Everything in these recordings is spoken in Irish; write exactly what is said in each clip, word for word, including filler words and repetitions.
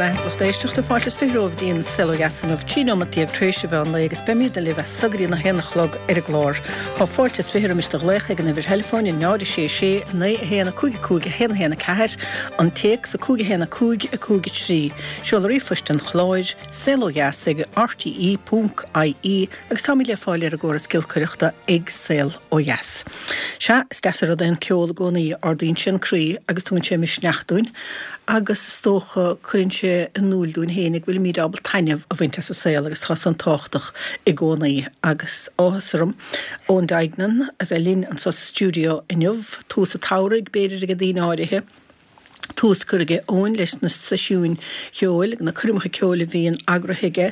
Go raibh maith agat a lucht éisteachta fáilte is fiche romhaibh go dtí an Saol Ó Dheas inniu, trí nóiméad déag tar éis an mheán lae agus beimid libh as so go dtí a haon a chlog ar an gclár. Tá fáilte is fiche roimis do ghlaoch ag an uimhir theileafóin náid a sé sé naoi a haon a cúig a cúig a haon a haon a ceathair, an téacs a cúig a haon a cúig a cúig a trí. Seoladh ríomhphoist an chláir, saol ó dheas ag rte ponc ie agus táimid le fáil ar an gcóras giolcaireachta ag Saol Ó Dheas. Sea, is deas an rud é an ceol i gcónaí, ardaíonn sé an croí agus tugann sé misneach dúinn agus is dócha cuireann sé in iúl dúinn féin go bhfuilimid ábalta taitneamh a bhaint as an saol agus tá san tábhachtach i gcónaí agus áthas orm Eoin Duignan a bheith linn anseo sa stiúideo inniu, tús an tsamhraidh b'fhéidir ag daoine áirithe. Tús curtha aige Eoin leis na seisiúin cheoil, na coirmeacha ceoil a bhíonn eagraithe aige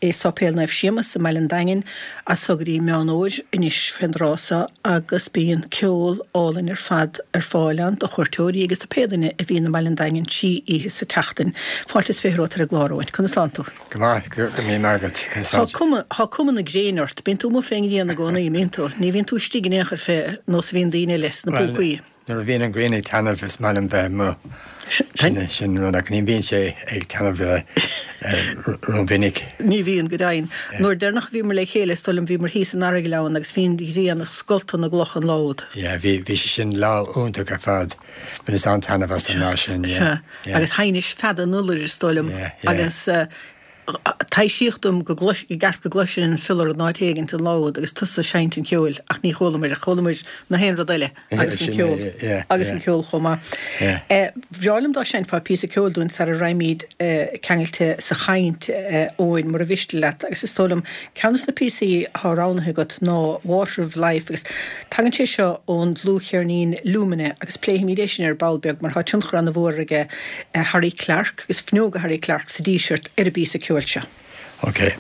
i Sáipéal Naomh Séamus i mBaile an Daingin as so go dtí Meán Fhómhair anois fén dtráth so agus bíonn ceol álainn ar fad ar fáil ann do chuairteoirí agus do pé duine a bhíonn i mBaile an Daingin trí oíche sa tseachtain. Fáilte is fiche romhat ar an gclár, Eoin. Conas tánn tú? Go maith, go raibh míle maith agat. Conas Tá tánn cuma, tá cuma na gréine ort. Bíonn tú amuigh fén ngrian i gcónaí, an mbíonn tú? Ní bhíonn tú istigh in aon chor fé nós a bhíonn daoine eile sna Bhuel, púcaí. nuair a bhíonn an ghrian ag taitneamh is maith liom bheith amuigh. Sin sin rud ach ní bhíonn sé ag taitneamh rómhinic. Ní bhíonn, go deimhin. Nuair deireanach a bhíomar le chéile, is dóigh liom, bhíomar thíos in Araigleann agus bhí an ghrian ag scoltadh na gcloch an lá úd. Yeah, bhí bhí sé sin lá iontach ar fad. Bhaineas an-taitneamh as an lá sin, yeah, Sea, yeah. agus sheinnis fead an fhiolair, is dóigh liom, Yeah, yeah. agus taibhsíodh dom go gclois, i gceart go gcloisfinn an fiolar in áit éigint an lá úd agus tusa ag seinnt an cheoil ach ní chualamar, chualamar na haon rud eile agus an ceol agus an ceol chomh maith. Bhreá liom dá seinnfeá píosa ceoil dúinn sara raghaimid ceangailte sa chaint, Eoin, mura mhiste leat, agus is dóigh liom ceann de na píosaí atá roghnaithe agat ná Water of Life agus tagann sé seo ón dlúthcheirnín Lumina agus pléifimid é sin ar ball beag mar tá tionchar an-mhór aige Harry Clarke agus fuinneoga Harry Clarke sa Díseart ar an bpíosa ceoil seo. Ok.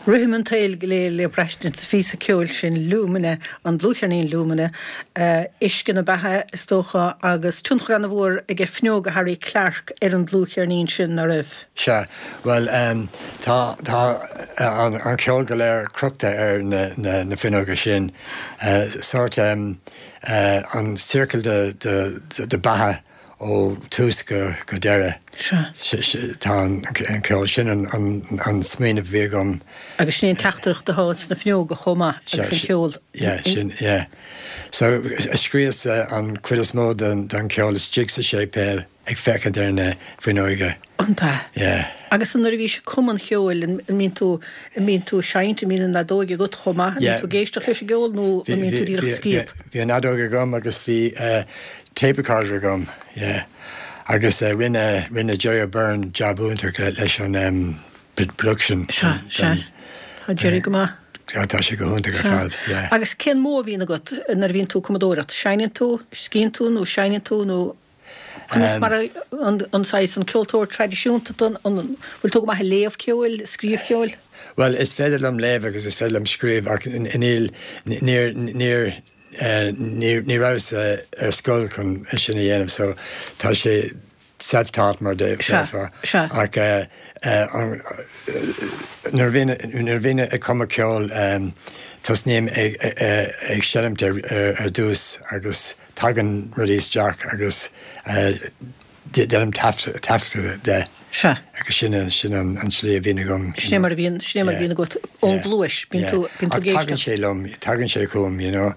Rithim an tsaoil go léir le braistint sa phíosa ceoil sin Lumina, an dlúthcheirnín Lumina, uisce na beatha is dócha agus tionchar an-mhór aige fuinneoga Harry Clarke ar an dlúthcheirnín sin, ná raibh? Sea, bhuel tá tá an an ceol go léir crochta ar na na na fuinneoga sin. Sórt an ciorcal de de de beatha ó tús go go deireadh. Sea. Tá an ceol sin an an smaoineamh a bhí agam. Agus sin é an teachtaireacht atá sna fuinneoga chomh maith agus an ceol. Yeah, sin, yeah. So scríos an chuid is mó den den ceol istigh sa séipéal ag féachaint ar na fuinneoga. An ea? Yeah. Agus nuair a bhís ag cumadh an cheoil, an mbíonn tú, an mbíonn tú ag seinnt, an mbíonn an fheadóg agat chomh maith, an mbíonn tú ag éisteacht leis an gceol nó an mbíonn tú díreach ag scríobh? Bhí an fheadóg agam agus bhí tape recorder agam, yeah. Agus rinne, rinne Jerry O'Byrne jab iontach leis an production. Sea, sea. Tá Jerry go maith. Tá sé go hiontach ar fad, yeah. Agus cén modh a bhíonn agat nuair a bhíonn tú ag cumadóireacht? Seinneann tú, scríobhann tú nó seinneann tú nó conas mar a, an, an saghas, an ceoltóir traidisiúnta tú, an bhfuil tú go maith ag léamh ceoil, scríobh ceoil? Bhuel, is féidir liom léamh agus is féidir liom scríobh ach níl, níor, níor, ní rabhas ar scoil chun é sin a dhéanamh so tá sé self-taught mar déarfá. Ach nuair a bhím ag cumadh ceoil tosnaím ag seinmt ar dtús agus tagann rudaí isteach agus déanaim taifeadadh de. Sea. Agus sin sin an an slí a bhíonn agam. Sin é mar a bhíonn, sin é mar a bhíonn agat ón gcluais, bíonn tú, bíonn tú ag éisteacht. Ach tagann sé liom, tagann sé chugam, you know.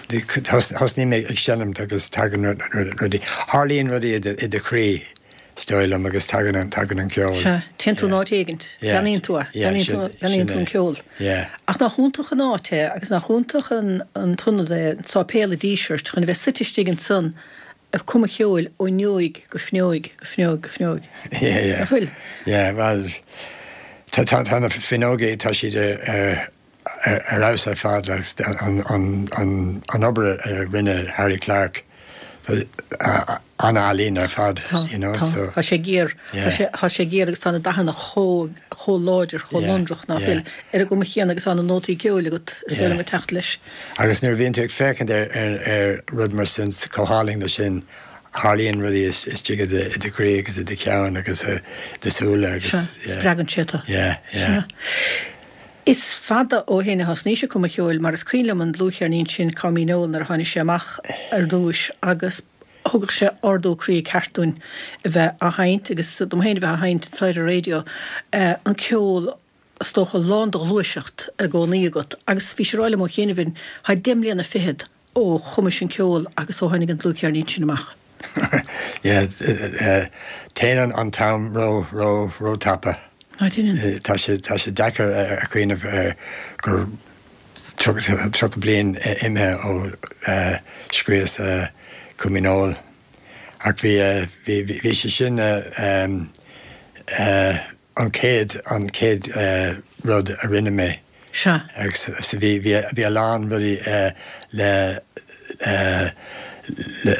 Thosnaím ag seinmt agus tagann rudaí, tharlaíonn rudaí i do chroí, is dóigh liom, agus tagann an, tagann an ceol. Sea, téann tú in áit éigint, beannaíonn tú é, beannaíonn tú, beannaíonn tú an ceol. Ach nach iontach an áit é agus nach iontach an an t-ionad é, an Sáipéal i Díseart, chun a bheith suite istigh ansan ag cumadh ceoil ó fhuinneoig go fuinneoig go fuinneoig go fuinneoig. Yeah, yeah. Nach bhfuil? Yeah, bhuel, tá, tá, tá na fuinneoga, tá siad ar, ar, ar fheabhas ar fad, like, an, an, an, an obair a rinne Harry Clarke, an-ealaín ar fad, Tá, you know, tá, so. tá sé géar, Yeah. tá sé, tá sé géar agus tá na dathanna chomh, chomh láidir, chomh Yeah, lonrach ná yeah. fuil ar an gcuma chéanna agus tá na nótaí ceoil agat, is dóigh liom Yeah. ag teacht leis. Agus nuair a bhíonn tú ag féachaint ar, ar, ar rud mar sin, chomh hálainn leis sin, tharlaíonn rudaí istigh i do, i do chroí agus i do cheann agus i do shúile agus, Sea, yeah. spreagann sé tú. Yeah, yeah. Sea. Is fada ó shin a thosnaís ag cumadh ceoil mar is cuimhin liom an dlúthcheirnín sin Coimín Óil nuair a tháinig sé amach ar dtúis agus thugadh sé ardú croí ceart dúinn a bheith á sheinnt agus dom féin a bheith á sheinnt anseo ar an raidió, an ceol is dócha lán de ghluaiseacht i gcónaí agat agus bhís ag rá liom ó chianaibh, tá deich mbliana fichead ó chumais an ceol agus ó tháinig an dlúthcheirnín sin amach. Yeah, téann an t-am ró, ró, ró-tapa. Á, téann. Tá sé, tá sé deacair a chuimhneamh ar gur tríocha bliain imithe ó scríos Coimín Óil. Ach bhí, bhí, bhí sé sin an chéad, an chéad rud a rinne mé. Sea. Agus bhí, bhí, bhí a lán rudaí le, le,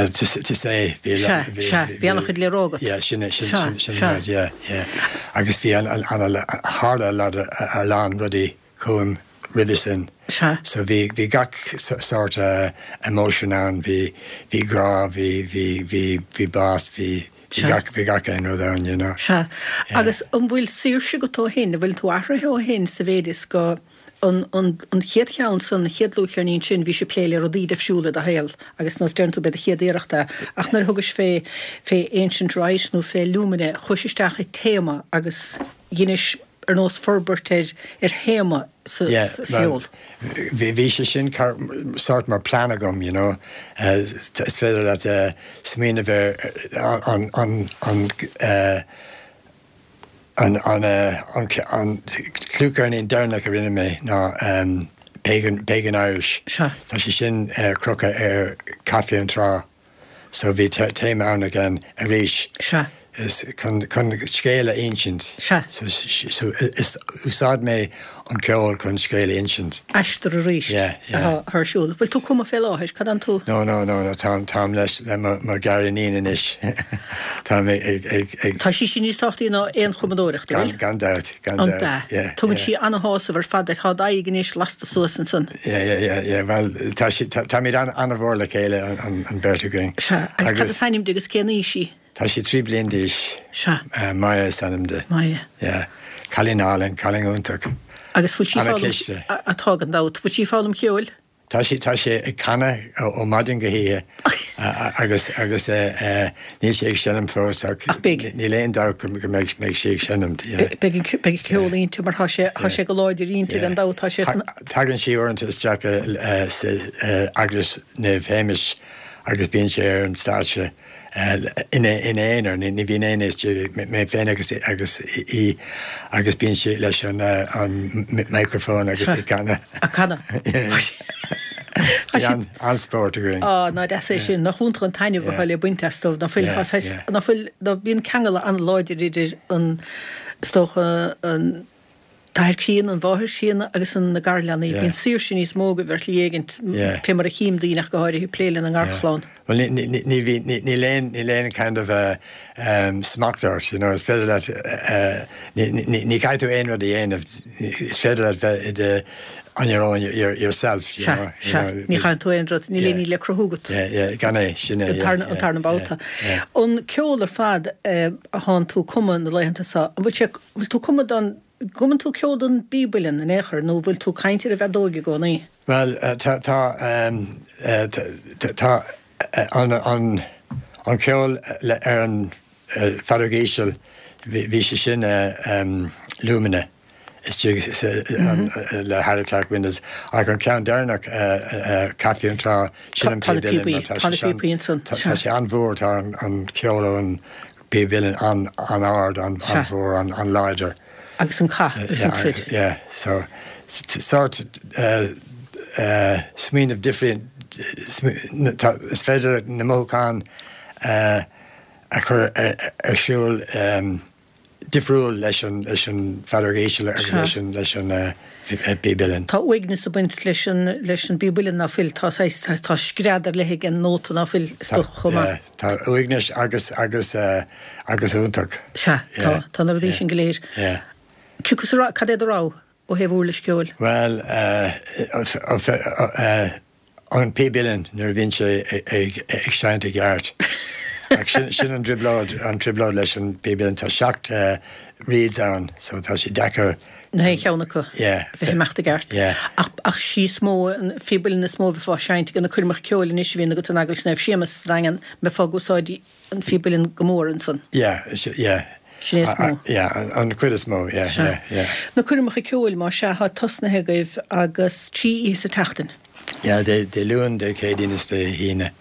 to, to say. Bhí, Sea, sea, bhí an-chuid le rá agat. Yeah, sin é, sin, Sea, sin, sin sea. an rud, yeah, yeah. Agus bhí an, an, an, tharla a lán rudaí chugam roimhe sin. Sea. So bhí, bhí gach sort emotion ann, bhí, bhí grá, bhí, bhí, bhí, bhí bás, bhí, bhí Sea. gach, bhí gach aon rud ann, you know. Sea. Yeah. Agus an bhfuil saoirse agat ó shin, an bhfuil tú athraithe ó shin sa mhéid is go an, an, an chéad cheann san, an chéad dlúthcheirnín sin, bhís ag plé le rudaí difriúla i do shaol agus nós deireann tú b'é do chéad iarracht é. Ach nuair a thugais fé, fé Ancient Rite nó fé Lumina, chuais isteach i téama agus dheinis ar nós forbairt ar, ar théama sa, Yeah, sa cheol. Bhí bhí sé sin car, sort mar plean agam, you know. Uh, is féidir leat uh, smaoineamh ar an, an, an, uh, an, an, uh, an, an dlúthcheirnín deireanach a rinne mé ná um, Pagan, Pagan Irish. Sea. Tá sé sin uh, crochta ar Caife an Trá. So bhí téama ann again arís. Sea. is chun chun scéal a insint. Sea. So, so is úsáid mé an ceol chun scéal a insint. Aistear arís Yeah, yeah. atá ar siúl. Bhfuil tú ag cumadh fé láthair, cad an tú? No, no, no, no, táim táim leis le mo mo ghariníon anois. Táim ag ag ag ag Tá sí sin níos tábhachtaí ná aon chumadóireacht, an gan bhfuil? gan dabht, gan An dabht. ea. Yeah, Tugann yeah. sí ana-shásamh ar fad duit, tá d'aghaidh anois lasta suas ansan. Yeah, yeah, yeah, yeah. Well, tá sí tá táimid an an-mhór le chéile an an an bheirt againn. Sea, agus cad is ainm di agus cén aois í? Tá sí trí bliana d'aois. Sea. Uh, Maya is ainm di. Maya. Yeah. Cailín álainn, cailín iontach. Agus bhfuil sí foghlaim Ana-chliste. atá gan dabht, bhfuil sí ag foghlaim ceoil? Tá sí tá sé ag canadh ó ó maidin go hoíche agus agus níl sé ag seinm fós Ach beidh. Níl aon dabht go go mbeidh mbeidh sé ag seinm. yeah. Beidh beidh ceol inti mar tá sé tá sé go láidir inti gan dabht tá sé san Tagann sí uaireanta isteach sa eaglais Naomh Shéamais agus bíonn sé ar an stáitse ina ina aonar, ní bhíonn aon mé féin agus agus í agus bíonn sé leis an an microphone agus ag canadh. A canadh. Bhí an-spórt againn. Á ná deas é sin nach iontach an taitneamh atá le baint astu ná fuil ná fuil ná bíonn ceangal an-láidir idir an is dócha an t-athair críonna an mháthair chríonna agus an na garleanaí. Bíonn saoirse níos mó go bhfuil éigint fé mar a chím daoine ach go háirithe plé lena ngarchlann. Well ní ní bhí níl aon níl aon kind of a um, smacht ort, you know, is féidir leat uh, ní caithfidh tú aon rud a dhéanamh, is féidir leat bheith i on your own your, yourself you know, Ní chaithfidh tú aon rud, níl aon le cruthú agat. Gan é sin é an tarna babhta. An ceol ar fad a thánn tú ag cumadh na laethanta seo, an bhfuil sé bhfuil tú ag cumadh don gcumann tú ceol don bpíb uilleann in aon chor nó bhfuil tú ag caint ar an bhfeadóg i gcónaí? Well tá tá tá an an an ceol ar an feadóg íseal bhí sé sin Lumina istigh le Harry Clark Windows ach an ceann deireanach Caife an Trá sin an píb uilleann tá sé an-mhór tá an ceol ón bpíb uilleann an an-ard an-mhór an an-láidir. Agus an cath agus an troid. Yeah, so sort uh, uh, smaoineamh different is féidir na mothúcháin uh, a chur ar siúl um, difriúil leis an leis an bhfeadóg íseal agus leis an leis an píb uilleann. Tá uaigneas ag baint leis an leis an bpíb uilleann ná fuil tá tá scread ar leith ag an nóta ná fuil is dócha chomh maith. Tá uaigneas agus agus uh, agus iontach. Sea, tá tá na rudaí sin go léir. Yeah. Cúcas cad é do rogha ó thaobh uirlis ceoil? Well uh, uh, an píb uilleann nuair a bhíonn sé ag ag seinnt i gceart. Ach sin sin an trioblóid an trioblóid leis an bpíb uilleann tá seacht uh, reeds ann, so tá sé deacair Na haon cheann acu yeah, bheith ag imeacht i gceart. Yeah. Ach ach sí is mó an phíb uilleann is mó a bheifeá ag seinnt ag na coirmeacha ceoil anois a bhíonn agat in Eaglais Naomh Séamus sa Daingean mbeifeá ag úsáid an phíb uilleann go mór ansan. Yeah, yeah. Sin é is mó. Yeah, an, an chuid is mó, yeah, yeah, yeah. Na coirmeacha ceoil má sea tá tosnaithe agaibh agus trí oíche sa tseachtain. Yeah, Dé Dé Luain, Dé Céadaoin is Dé hAoine.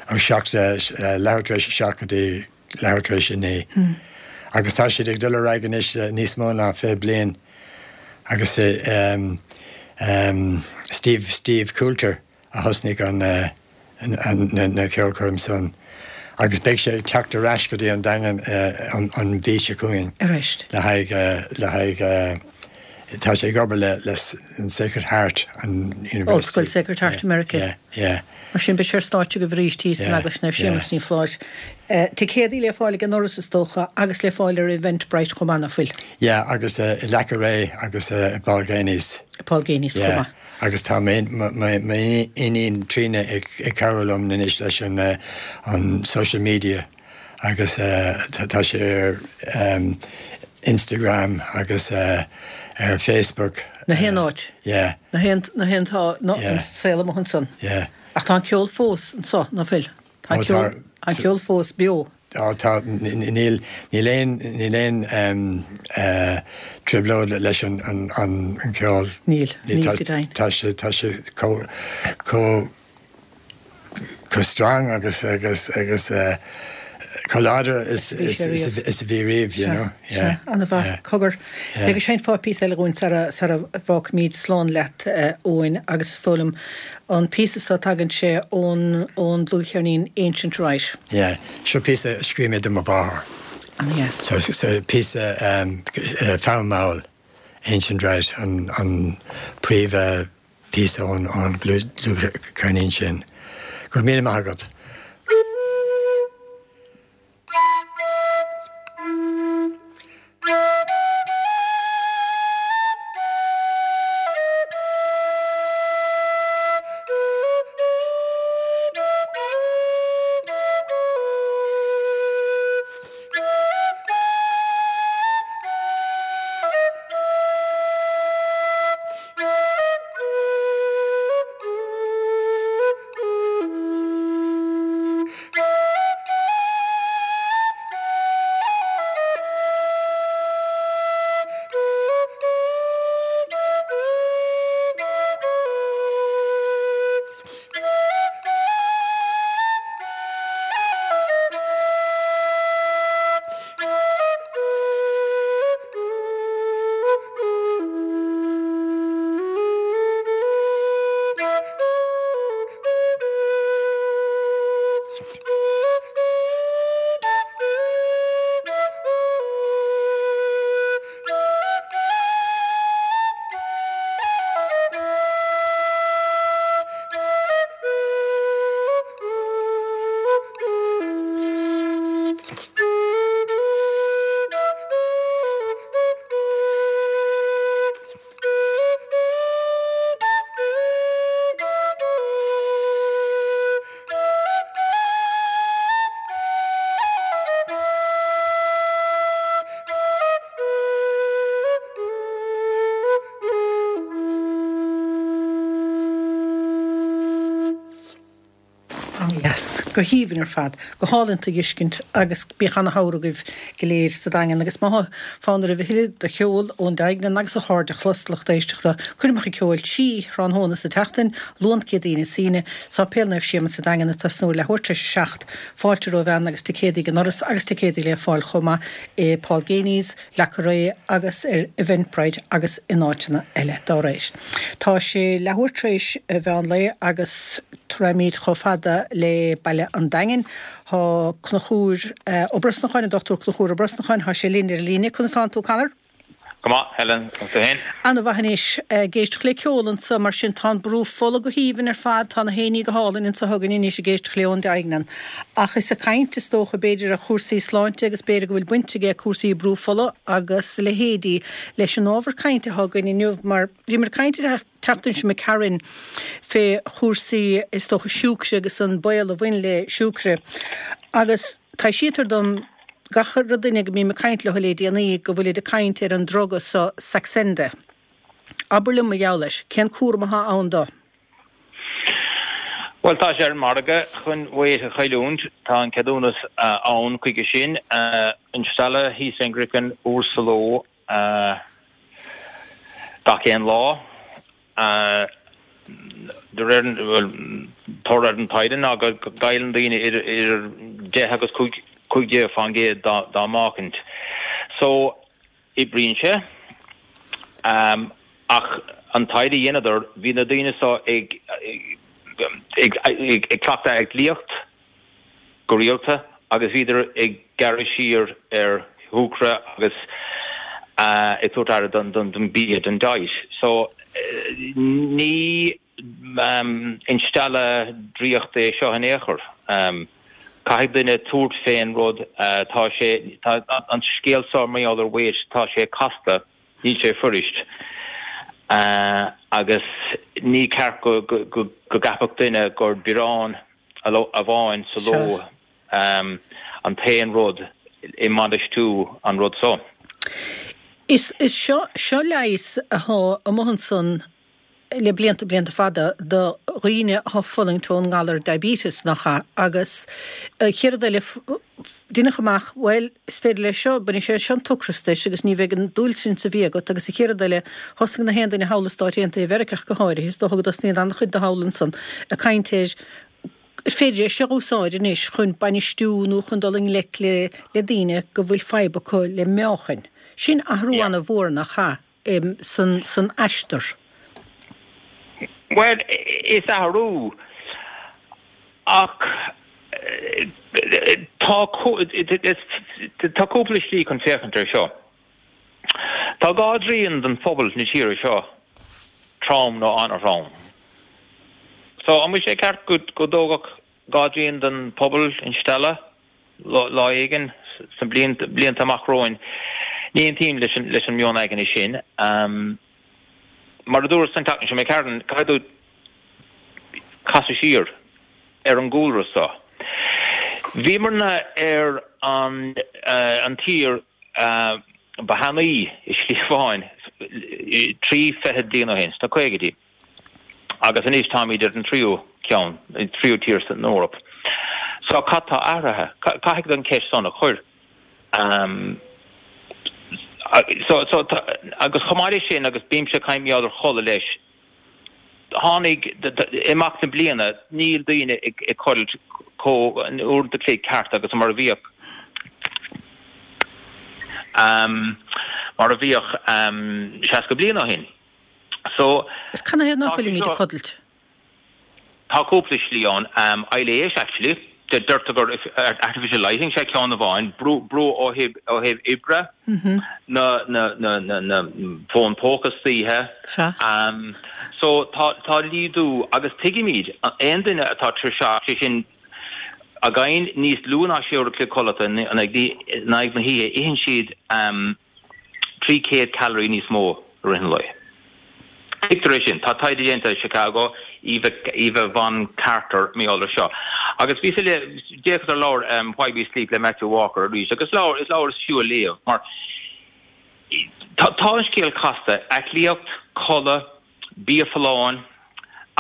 Ó seacht leathuair tar éis a seacht go dtí leathuair tar éis a naoi. Hmm. Agus tá siad ag dul ar aghaidh anois níos mó ná fiche bliain. Agus um, um, Steve Steve Coulter a thosnaigh an, uh, an, an, na, na ceolchoirm san. Agus beidh sé ag teacht ar ais go dtí an Daingean uh, an, an mhí seo chugainn. Arís. Le haghaidh uh, le haghaidh uh, tá sé ag obair le le an Sacred Heart an University. Ollscoil Sacred Heart America. Yeah, yeah. Mar sin beidh sé ar stáitse agaibh arís thíos san Eaglais Naomh Séamus ní Fláis. Ticéadaí le fáil ag an ndoras is dócha agus le fáil ar Eventbrite chomh maith ná fuil. Yeah, agus uh, i Leaca Ré agus uh, Paul Geaney's. Paul Geaney's chomh Yeah. maith. Agus tá m'iníon Tríona ag ag cabhrú liom anois leis an uh, an social media agus uh, tá sé ar um, Instagram agus uh, ar Facebook. Na haon áit. Yeah. Na haon na haon tá na Yeah. an saol amuigh ansan. Yeah. Ach tá an ceol fós anso ná fuil. Tá Ó, ceol tá- an ceol fós beo. Á tá níl níl aon níl aon um, uh, trioblóid leis an an an an ceol. Níl, níl tá go deimhin. tá sé tá sé chomh chomh chomh strong agus agus agus uh, chomh láidir is Bhí is sé is riamh. is a bhí riamh, you know. Yeah. An-mhaith cogar. Yeah. Agus seinnfeá píosa eile dhúinn sara sara bhfágfaimid slán leat eh, Eoin agus is dóigh liom an píosa seo tagann sé ón ón dlúthcheirnín Ancient Rite. Yeah, seo píosa a scríobh mé do mo mháthair. An-dheas. So, so píosa um, fonn mall, Ancient Rite, an, an príomh píosa ón an dlúthcheirnín sin. Go raibh míle maith agat. Yes, go haoibhinn ar fad, go hálainn a fheiscint agus bíodh ana-shamhradh agaibh go léir sa Daingean agus má thá fonn oraibh a thuilleadh de cheol ón Daingean agus a chairde a chlos, lucht éisteachta, coirmeacha ceoil trí thráthnóna sa tseachtain, Luan Céadaoin is Aoine, Sáipéal Naomh Séamus sa Daingean ag tosnú leathuair tar éis a seacht. Fáilte romhaibh ann agus ticéadaí ag an ndoras agus ticéadaí le fáil chomh maith i Paul Geaney's, Le Carré agus ar Eventbrite agus in áiteanna eile dá réir. Tá sé leathuair tar éis mheán lae agus raghaimid chomh fada le Baile an Daingin. Tá Conchúr Ó Brosnacháin, an Dochtúir Conchúr Ó Brosnacháin, tá sé linn ar an líne. Conas tánn tú, Conor? Go maith, Helen, agus tú féin? Ana-mhaith anois. Ag éisteacht le ceol anso, mar sin tá an brú fola go haoibhinn ar fad, tá na héinní go hálainn anso chugainn anois ag éisteacht le ón Daingean. Ach is ag caint, is dócha, b'fhéidir ar chúrsaí sláinte agus b'fhéidir go bhfuil baint aige cúrsaí brú fola agus a leithéidí leis an ábhar cainte atá againn inniu mar bhíomar ag caint an tseachtain seo imigh tharainn fé chúrsaí, is dócha, siúcra agus an baol a bhain le siúcra. Agus taibhsítear dom gach re duine go mbím ag caint leo le déanaí go bhfuilid ag caint ar an druga so Saxenda. Abair liom mar gheall air, cén cúram atá ann dó? Bhuel, tá sé ar an margadh chun weight a chailliúint. Tá an ceadúnas ann chuige sin. Instealladh thíos fén gcraiceann uair sa ló gach aon lá. De réir, bhuel, toradh ar an taighde ná go gcailleann daoine idir deich agus cúig déag fán gcéad dá meáchaint. So, oibríonn sé. Ach an taighde a dheineadar, bhí na daoine so ag ag cleachtadh aclaíocht go rialta agus bhíodar ag gearradh siar ar shúcra agus ag tabhairt aire don bia, don diet. So, ní instealladh draíochta é seo in aon chor. Caithfidh duine tabhairt fén rud. Tá sé, tá an scéal seo mar gheall ar weight, tá sé casta, níl sé fuirist. Agus ní ceart go gceapfadh duine gur biorán amháin sa ló an t-aon rud i mbainistiú an rud so. Is seo seo leigheas atá amuigh ansan le blianta blianta fada do dhaoine atá ag fulaingt ón ngalar diabetes, nach ea? Agus an chéad rud eile, deineadh amach, bhuel, is féidir leis seo, bainfidh sé seo an t-ocras duit agus ní bheidh an dúil sin sa bhia agat agus an chéad rud eile, thosaigh na haon duine thall i Stáit Aontaithe Mheiriceá ach go háirithe, is dócha go dtosnaíonn an-chuid de thall ansan, ag caint ar gur féidir é seo a úsáid anois chun bainistiú nó chun dul i ngleic le le daoine go bhfuil fadhb acu le meáchain. Sin athrú an-mhór, nach ea, san san aistear. Bhuel, is athrú, ach Tá tá cúpla slí chun féachaint air seo. Tá dhá dtrian den phobal na tíre seo trom nó an-throm. So an bhfuil sé ceart go go dtógfadh dhá dtrian den pobal instealladh lá éigin sna blianta amach romhainn? Ní aontaím leis an leis an meon aigne sin. Um, mar a dúras an tseachtain seo imigh tharainn, caithfidh tú casadh siar ar an gcúlra so. Bhíomarna ar an uh, an tír uh, ba thanaí i slí amháin trí fichid bliain ó shin, sna caogaidí. Agus anois táimid ar an tríú ceann, an tríú tír san Eoraip. So cad tá athraithe? Caithfidh an ceist san a chur. Um, so, so, agus chomh maith leis sin agus bímse ag caint ar chodladh leis, tháinig imeacht na bliana níl daoine ag ag codlailt chomh an uair an chloig ceart agus mar a bhíodh um, mar a bhíodh um, seasca bliain ó shin. So Is canathaobh ná fuilimid ag codlailt? Tá cúpla slí ann um, ailléis actually deirtear gur artificial lighting sé ceann amháin brú brú ó thaobh ó thaobh oibre mm -hmm. na na na na na fón póca istoíche um, so tá tá laghdú agus tuigimid aon duine atá tuirseach sé sin againn níos lú ná sé uair an chloig codlata in aghaidh na hoíche itheann siad um, trí chéad calorie níos mó i rith an lae. Tuigtear é sin, tá taighde déanta i Chicago, Eva, Eva Von Carter mar gheall air seo. Agus bhí le d'fhéachas ar leabhar um, Why We Sleep le Matthew Walker arís, agus leabhar is leabhar is fiú a léamh mar tá tá an scéal casta, aclaíocht, codladh, bia folláin,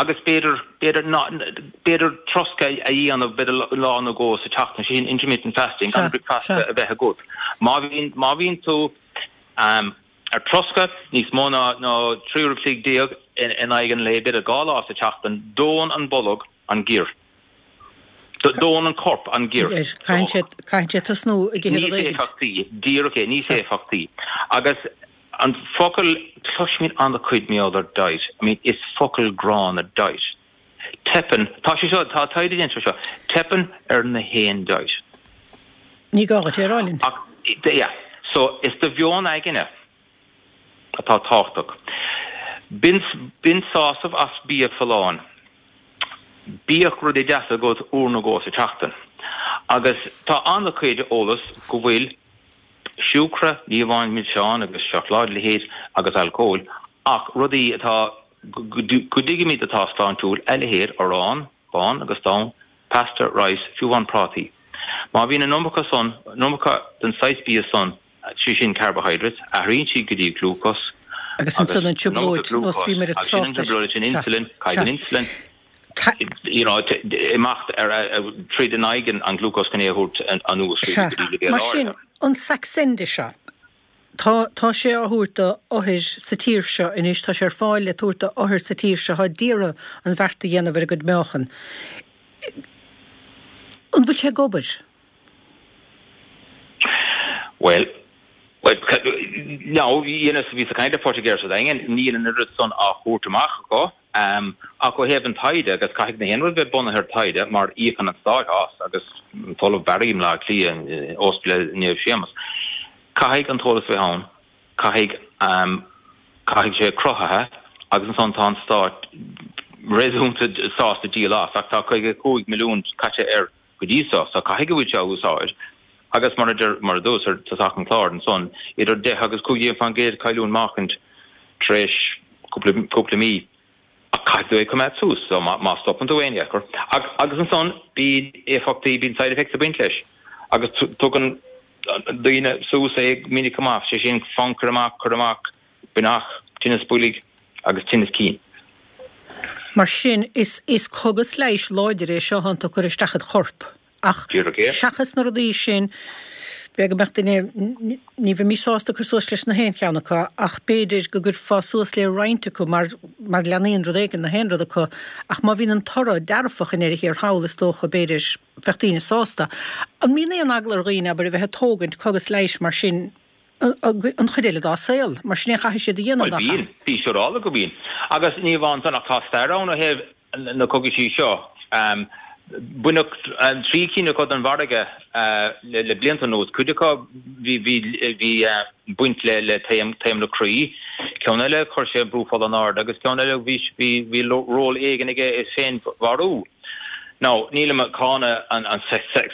agus b'fhéidir b'fhéidir b'fhéidir troscadh a dhéanamh b'fhéidir lá nó dhó sa tseachtain sin intermittent fasting gan bricfeasta a bheith agat. Má bhíonn má bhíonn tú um, ar troscadh níos mó ná ná trí uair an chloig déag in in aghaidh an lae b'fhéidir dhá lá sa tseachtain dónn an bolg an giar. Dónn an corp an giar. Caithfidh sé tosnú ag ithe Níos éifeachtaí, díreach é, níos éifeachtaí. Agus an focal cloisimid an-chuid mar gheall ar diet, I mean is focal gránna diet. Teipeann, tá sé seo, tá taighde déanta seo, teipeann ar na haon diet. Ní gá duit é a rá linn. Ach, yeah, so is do mheon aigne atá tábhachtach. Bain bain sásamh as bia folláin. Bíodh rudaí deasa agat uair nó dhó sa tseachtain. Agus tá an-chuid eolas go bhfuil siúcra, ní amháin milseáin agus seacláid leithéid agus alcól, ach rudaí atá go dtuigimid atá sláintiúil, a leithéid arán, bán agus donn, pasta, rice, fiú amháin prátaí. Má bhíonn an iomarca san, an iomarca den saghas bia san, sé sin carbohydrates, athraíonn siad go dtí glúcós, Agus ansan an trioblóid, nós bhí mar a agus sin an trácht trioblóid sin insulin, cailleann insulin, you know, imeacht ar tríd in aghaidh an glúcós chun é a thabhairt anuas go dtí leibhéal Mar sin, an Saxenda seo, tá tá sé á thabhairt do othair sa tír seo anois, tá sé ar fáil le tabhairt do othair sa tír seo, atá d'iarraidh an bheart a dhéanamh ar a gcuid meáchan. An bhfuil sé ag obair? Well, well, now, dhéanas bhíos ag caint le Poitigéir sa Daingean, níl an oiread san á thabhairt amach acu, um, ach ó thaobh an taighde, agus caithfidh na haon rud bheith bunaithe ar taighde, mar íocann an stát as, agus an tOllamh Barry i mBleá Cliath, Ospidéal Naomh Séamus. Caithfidh an t-eolas bheith ann, caithfidh, um, caithfidh sé cruthaithe, agus ansan tá an stát réasúnta sásta díol as, ach tá caoga a cúig milliún caite air go dtí seo, so caithfidh go bhfuil sé á úsáid. Agus mar a deir, mar a dúras ar tosach an chláir ansan, idir deich agus cúig déag faoin gcéad cailliúint meáchaint tar éis cúpla, cúpla mí. Ach caithfidh tú é a choimeád suas, so má, má stopann tú aon dheacair. Agus ansan bíonn éifeachtaí, bíonn side effects ag baint leis. Agus tugann daoine suas é minic go maith, sé sin fonn cur amach, cur amach, buinneach, tinneas boilg agus tinneas cinn. Mar sin, is, is cogas leighis láidir é seo atánn tú ag cur isteach id chorp. Ach seachas na rudaí sin, b'fhéidir go mbeadh duine, ní bheimis sásta cur suas leis na haon cheann acu, ach b'fhéidir go gcuirfeá suas le roinnt acu mar, mar leathnaíonn rud éigin na haon rud acu. Ach má bhíonn an toradh dearfach i ndeireadh thiar thall, is dócha, b'fhéidir, bheadh daoine sásta. An mbíonn aon eagla ar dhaoine, abair, a bheith ag tógaint cogas leighis mar sin an chuid eile dá saol? Mar sin é a chaithfidh siad a dhéanamh, Bhuel, nach ea? bíonn. Bí siúráilte go mbíonn. Agus ní amháin san, ach tá stair ann ó thaobh na cogaisí seo. Baineadh trí cinn acu den mhargadh le blianta anuas. Cuid acu bhí bhí baint le le taom taom na croí. Ceann eile chuir sé brú fola an-ard agus ceann eile bhí bhí bhí ról éigin aige i féinmharú. Now nílim ag cáineadh an an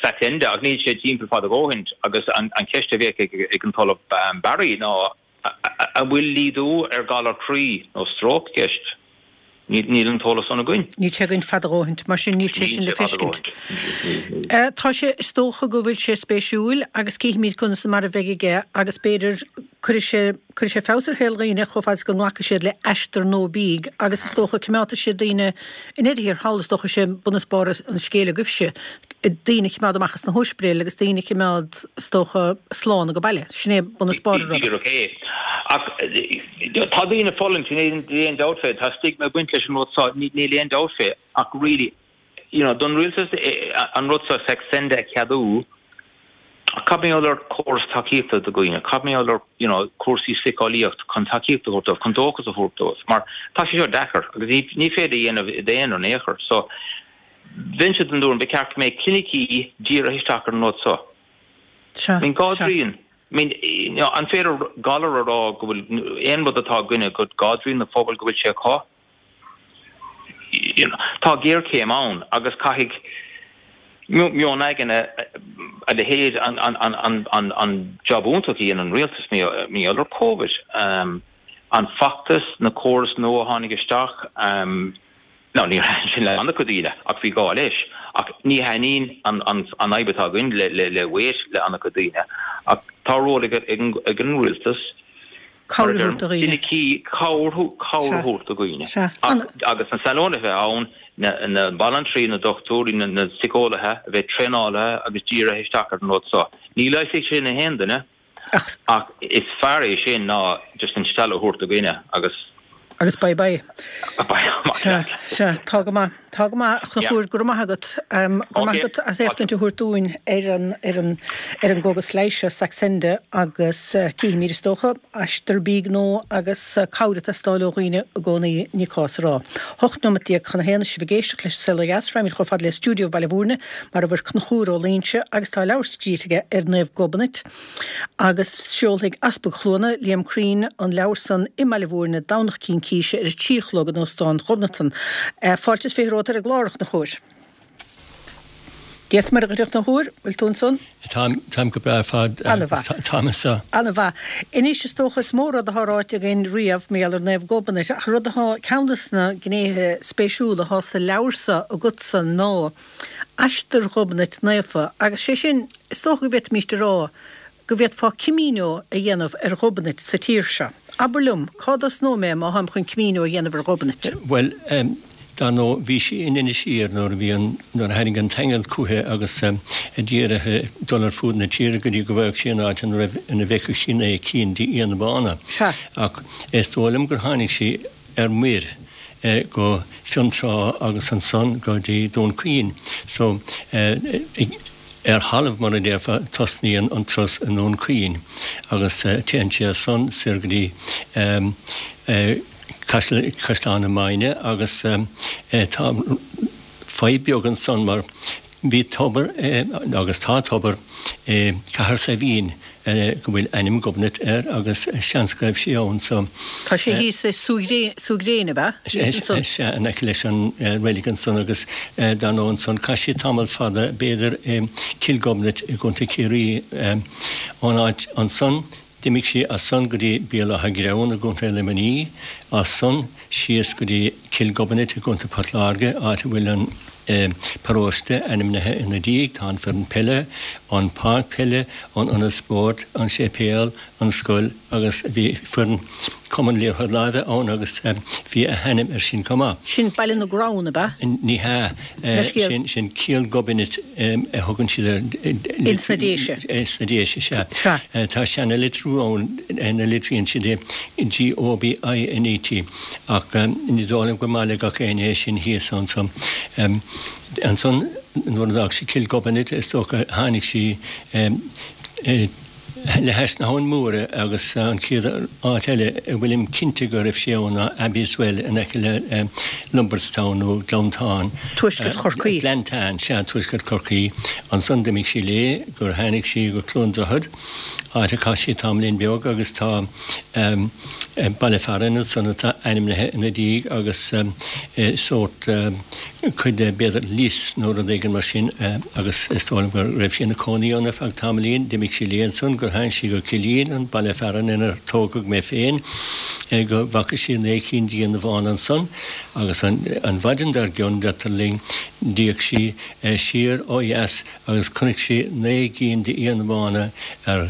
Saxenda ach níl sé timpeall fad a dhóthaint agus an an cheist a bheadh ag ag an tOllamh Barry ná an bhfuil laghdú ar galar croí nó stróc i gceist? Níl an t-eolas san againn. Níl sé againn fad a dhóthaint, mar sin níl sé sin le feiscint. Tá sé, is dócha go bhfuil sé spéisiúil agus cífimid conas mar a bheidh aige agus b'fhéidir cuirfidh sé, cuirfidh sé feabhas ar shaol dhaoine chomh fada is go nglacfaidh siad le Aistear nó Bídh agus is dócha coimeádfaidh siad daoine i ndeireadh thiar thall, is dócha sé bun is barr an scéil agaibhse, daoine a choimeád amach as na hóispidéil agus daoine a choimeád, is dócha, slán ag baile. Sin é bun is barr an ruda. Díreach é. Ach tá daoine ag fulaingt, níl aon dabht fé. Tá stigma ag baint leis an rud seo, níl aon dabht fé. Ach really, you know, don rialtas an rud seo Saxenda a cheadú, cad mar gheall ar córas tacaíochta do dhaoine? Cad mar gheall ar, you know, cúrsaí síceolaíocht chun tacaíocht a thabhairt dóibh, chun dóchas a thabhairt dóibh? Mar tá sé seo deacair agus ní féidir a dhéanamh i d'aonar in aon chor. So, Bheinnse den tuairim ba cheart go mbeadh clinicí dírithe isteach ar an rud seo. Sea, I mean, dhá sea. dtrian. I mean, you know, an féidir galar a rá go bhfuil aon rud atá againne go dhá dtrian den phobal go bhfuil sé acu? You know, tá géarchéim ann agus caithfidh meon againne a leithéid an, an, an, an, an, an job iontach a dhein an rialtas mar gheall ar Covid. Um, an feachtas, na córais nua a tháinig isteach, um, Now níor thaitin sin le an-chuid daoine ach bhí gá leis. Ach ní thaitníonn an fhadhb atá againn le Waite le an-chuid daoine. Ach tá ról ag an rialtas, mar a deirim, clinicí, cabhair a thabhairt do dhaoine. Agus na saineolaithe a bheith ann, na banaltraí, na dochtúirí, na síceolaithe a bheith traenáilte agus dírithe isteach ar an rud seo. Ní leigheasfaidh sin aon duine ach is fearr é sin ná just an stealladh a thabhairt do dhuine agus. Agus bye bye. Bye amach Sea, leat. sea, tá go maith. Tá go maith, a Chonchúir, go raibh maith agat. Go raibh maith Ok. agat as éachtaint a thabhairt dúinn ar an, ar an, ar an gcógas leighis seo, Saxenda, agus cífimid, is dócha, aistear bídh nó agus cabhair ag teastáil ó dhaoine i gcónaí, ní cás a rá. Hocht nóimeat déag chun a haon, sibh ag éisteacht leis an Saol Ó Dheas, raghaimid chomh fada le stiúideo Bhaile Bhúirne, mar a bhfuil Conchúr Ó Loingsigh agus tá leabhar scríte aige ar Naomh Gobnait. Agus seolfaidh Easpag Chluana, Liam Crean, an leabhar san i mBaile Bhúirne Domhnach Cincíse ar a trí a chlog in Óstán Ghobnatan. Fáilte is fiche romhat ar an gclár, a Chonchúir. Dia is Muire dhuit a Chonchúir, bhfuil tú ansan? Táim, táim go breá ar fad. Ana-mhaith. Táim anseo. Ana-mhaith. Anois is dócha is mó rud atá ráite againn riamh mar gheall ar Naomh Gobnait ach rud atá, ceann de na gnéithe spéisiúla atá sa leabhar so agatsa ná aistear Ghobnait Naofa agus sé sin, is dócha go bhféadfaimíst a rá go bhféadfá Camino a dhéanamh ar Ghobnait sa tír seo. Abair liom, cá dtosnóidh mé má tháim chun Camino a dhéanamh ar Ghobnait? Bhuel, dar ndóigh, bhí sí in Inis Oírr nuair a bhí an, nuair a tháinig an t-aingeal chúithi agus a d'iarr uirthi dul ar fuaid na tíre go dtí go bhfaigheadh sí an áit ina raibh, ina bhfeicfeadh sí naoi cinn d'fhianna bána. Sea. Ach is dóigh liom gur tháinig sí ar muir go Fionntrá agus ansan go dtí Dún Chaoin. So, ar thalamh, mar a déarfá, tosnaíonn an turas i nDún Chaoin agus téann sé as san soir go dtí Caisleán na Maighne agus tá fadhb beag ansan mar bhí tobar agus tá tobar i gCathair Saidhbhín go bhfuil ainm Gobnait air agus seans go raibh sí ann so. Tá sé thíos i Súil Ghréine, ab ea? Thíos ansan. Sea, in aice leis an reilig ansan agus dar ndóigh ansan chaith sí tamall fada b'fhéidir i Cill Ghobnait i gContae Chiarraí. Ón áit ansan d'imigh sí as san go dtí Béal Átha Greann i gContae Luimnigh, as san síos go dtí Cill Ghobnait i gContae Port Láirge áit a bhfuil an paróiste ainmnithe ina diaidh, tá an foireann peile, an páirc peile, an ionad spóirt, an séipéal, an scoil agus bhí foireann cumann liathróid láimhe ann agus bhí a hainm air sin chomh maith. Sin Baile na gCrann, ab ea? Ní hea. Sin sin Cill Ghobnait a thugann siad air. Ins na Déise. Ins na Déise, sea. Sea. Tá seana-litriú ann ina litríonn siad é G O B I N E T ach ní dóigh liom gur maith le gach éinne é sin thíos anso. Ansan nuair a d'fhág sí Cill Ghobnait is dócha tháinig sí Le hais na hAbhann Móire agus an chéad áit eile a bhfuilim cinnte go raibh sí ann ná Abbeyswell in aice le Lombardstown nó Gleanntán. Tuaisceart Chorcaí. Gleanntán, sea, Tuaisceart Chorcaí. Ansan d'imigh sí léi gur tháinig sí go Cluain Droichead, áit a chaith sí tamaillín beag agus tá baile fearainn ansan atá ainmnithe ina diaidh agus sórt cuid de b'fhéidir lios nó rud éigin mar sin agus is dóigh liom go raibh sí ina cónaí ann ar feadh tamaillín. D'imigh sí léi ansan gur tháinig sí go Cillín, an baile fearainn inar tógadh mé féin, go bhfaca sí naoi cinn d'fhianna bhána ansan agus an mhaidin dár gcionn, deirtear linn, d'fhéach sí siar ó dheas agus chonaic sí naoi gcinn d'fhianna bhána ar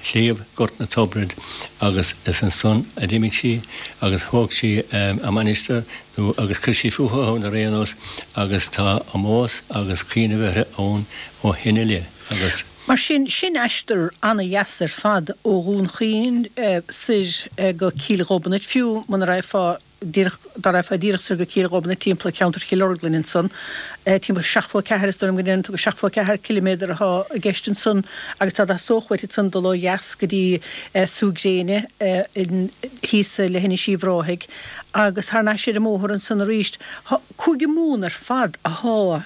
shliabh Gort na Tobrad agus is ansan a d'imigh sí agus thóg sí a mainistir nó agus chuir sí fúithi ann ar aon nós agus tá ómós agus cuimhneamh uirthi ann ó shin i leith agus. Mar sin, sin aistear ana-dheas ar fad ó Dhún Chaoin soir go Cill Ghobnait, fiú muna raghfá díreach, dá raghfá díreach soir go Cill Ghobnait timpeall ceantar Chill Orglan ansan, timpeall seachtó a ceathair, is dóigh liom go ndeireann tú gur seachtó a ceathair ciliméadar atá i gceist ansan agus tá theastódh uait ansan dul ó dheas go dtí Sú Gréine thíos le hInis Uíbh Ráthaigh agus thar n-ais ar an mbóthar ansan arís. Cúige Mumhan ar fad athá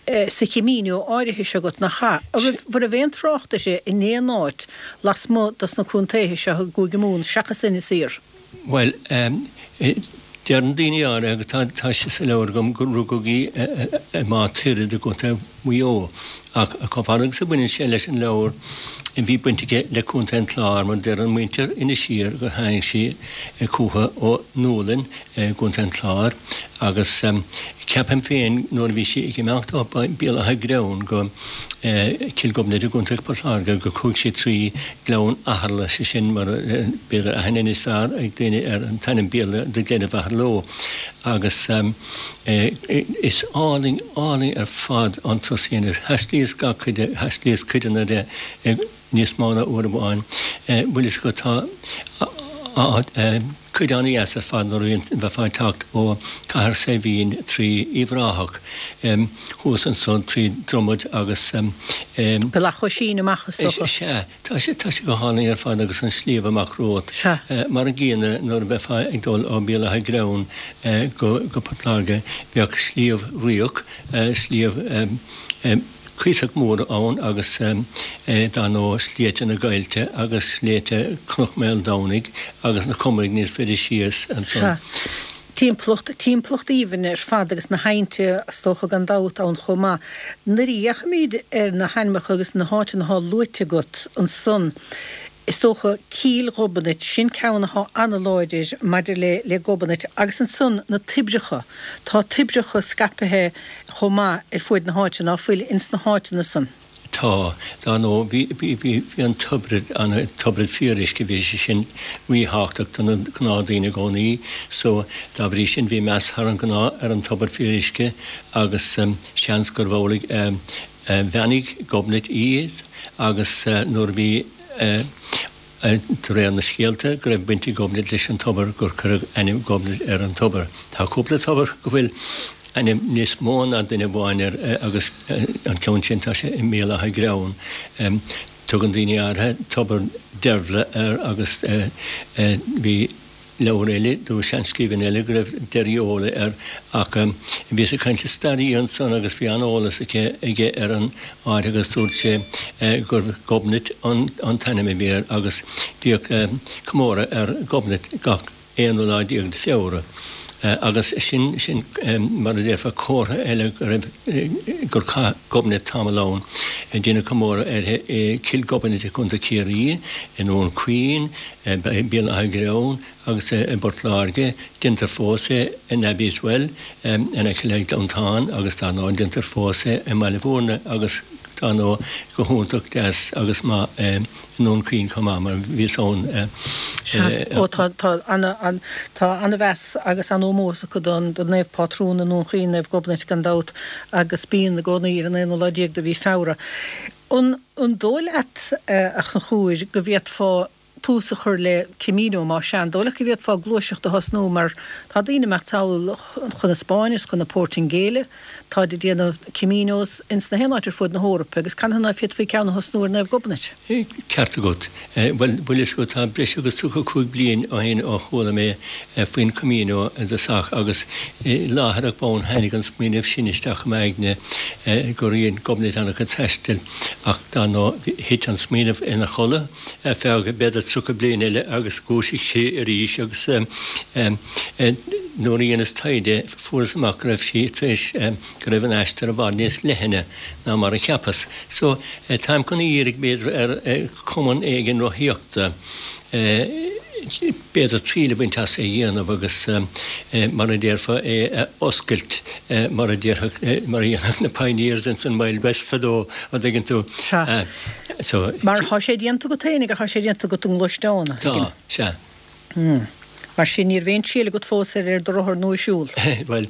sa Chamino áirithe seo agat, nach ea? An raibh, an raibh aon trácht uirthi in aon áit lasmuigh dos na contaetha seo i gCúige Mumhan seachas Inis Oírr? Bhuel, deireann daoine áirithe, agus tá, tá sé sa leabhar agam, gur rugadh í i Má Tuireadh i gContae Mhaigh Eo. Ach chomh fada agus a bhaineann sé leis an leabhar, bhí baint aici le Contae an Chláir, mar deireann muintir Inis Oírr gur tháinig sí chucu ó Nuallain i gContae an Chláir agus ceapaim féin nuair a bhí sí ag imeacht ó Béal Átha Gréann go Cill Ghobnait i gContae Port Láirge gur chuaigh sí trí Ghleann Atharla, sé sin mar b'fhéidir aithne níos fearr ag daoine ar an t-ainm Béarla The Glen of Aherlow agus is álainn, álainn ar fad an turas a dhéanamh. Thaistlíos gach cuid de, thaistlíos cuideanna de níos mó ná uair amháin. Bhfuil fhios agat tá cuid an-dheas ar fad nuair a bhíonn, bheifeá ag teacht ó Cathair Saidhbhín trí Uíbh Ráthach thuas ansan trí Dromad agus. Bealach Oisín amach is dócha. Sea, tá sé, tá sé go hálainn ar fad agus an sliabh amach romhat. Sea. Mar an gcéanna nuair a bheifeá ag dul ó Bhéal Átha Gréann go, go Port Láirge bheadh Sliabh Fhraoch, sliabh cuíosach mór ann agus dar ndóigh Sléibhte na gCoillte agus Sléibhte Chnoc Maoldomhnaigh agus na Comairg níos faide síos ansan. Sea. Timpeallacht, timpeallacht aoibhinn ar fad agus na haibhnte is dócha gan dabht ann chomh maith. Nuair a fhéachaimid ar na hainmneacha agus na háiteanna athá luaite agat ansan, is dócha Cill Ghobnait, sin ceann athá an-láidir maidir le le Gobnait agus ansan na toibreacha, tá toibreacha scaipthe chomh maith ar fuaid na háite, ná fuil ins na háiteanna san? Tá. Dar ndóigh, bhí, bhí, bhí, bhí an tobar, an tobar fíoruisce, bhí sé sin ríthábhachtach do na gnáthdhaoine i gcónaí so dá bhrí sin bhí meas thar an ngnáth ar an tobar fíoruisce agus seans gurbh amhlaidh a bheannaigh Gobnait í agus nuair a bhí de réir na scéalta, go raibh baint ag Gobnait leis an tobar, gur cuireadh ainm Ghobnait ar an tobar. Tá cúpla tobar go bhfuil ainm níos mó ná duine amháin air agus an ceann sin, tá sé i mBéal Átha Gréann. Tugann daoine áirithe Tobar Deirbhle air agus bhí leabhar eile, nó seanscríbhinn eile, go raibh Derryola air ach bhíos ag caint le staraí ansan agus bhí an-eolas aici, aige ar an áit agus dúirt sé gurbh Gobnait an t-ainm a bhí air agus bhíodh comóradh ar Ghobnait gach aonú lá déag de Feabhra agus sin, sin mar a déarfá comhartha eile go raibh, gur chaith Gobnait tamall ann. Deineadh comóradh uirthi i Cill Ghobnait i gContae Chiarraí, i nDún Chaoin, i Béal Átha Gréann agus i bPort Láirge. Déantar fós é in Abbeyswell in aice le Gleanntán agus dar ndóigh déantar fós é i mBaile Bhúirne agus dar ndóigh go hiontach deas agus maith i nDún Chaoin chomh maith mar bhíos ann. Sea, ó tá, tá ana, tá ana-mheas agus an-ómós acu don, don Naomh Pátrún i nDún Chaoin, Naomh Gobnait gan dabht agus bíonn i gcónaí ar an aonú lá déag de mhí Feabhra. An, an dóigh leat, a Chonchúir, go bhféadfá tús a chur le Camino, más ea, an dóigh leat go bhféadfá gluaiseacht a thosnú mar tá daoine ag imeacht sall chun na Spáinne is chun na Portaingéile, táid ag déanamh Caminos ins na haon áit ar fud na hEorpa agus canathaobh ná féadfaí ceann a thosnú ar Naomh Gobnait? Ceart agat. Bhuel, bhfuil fhios agat, tá breis agus tríocha cúig bliain ó shin ó chuala mé faoin Camino i dtosach agus láithreach bonn tháinig an smaoineamh sin isteach i m'aigne go raibh Gobnait an-chuid taistil ach dar ndóigh thit an smaoineamh ina chodladh ar feadh b'fhéidir tríocha bliain eile agus dhúisigh sé arís agus nuair a dheineas taighde fuaireas amach go raibh sí tar éis go raibh an aistear i bhfad níos leithne ná mar a cheapas. So táim chun a iarraidh b'fhéidir ar chumann éigin rothaíochta b'fhéidir triail a bhaint as é a dhéanamh agus mar a déarfá é a oscailt mar a déarfadh mar a dhéanfadh na pioneers ins an Wild West fadó an dtuigeann tú. Sea. So. Mar thá sé déanta agat fhéinig ach thá sé déanta agat i ngluaisteán, a thuigim. Tá, sea. Hmm. Mar sin ní raibh aon triail agat fós ar ar do rothar nó ag siúl? Bhuel,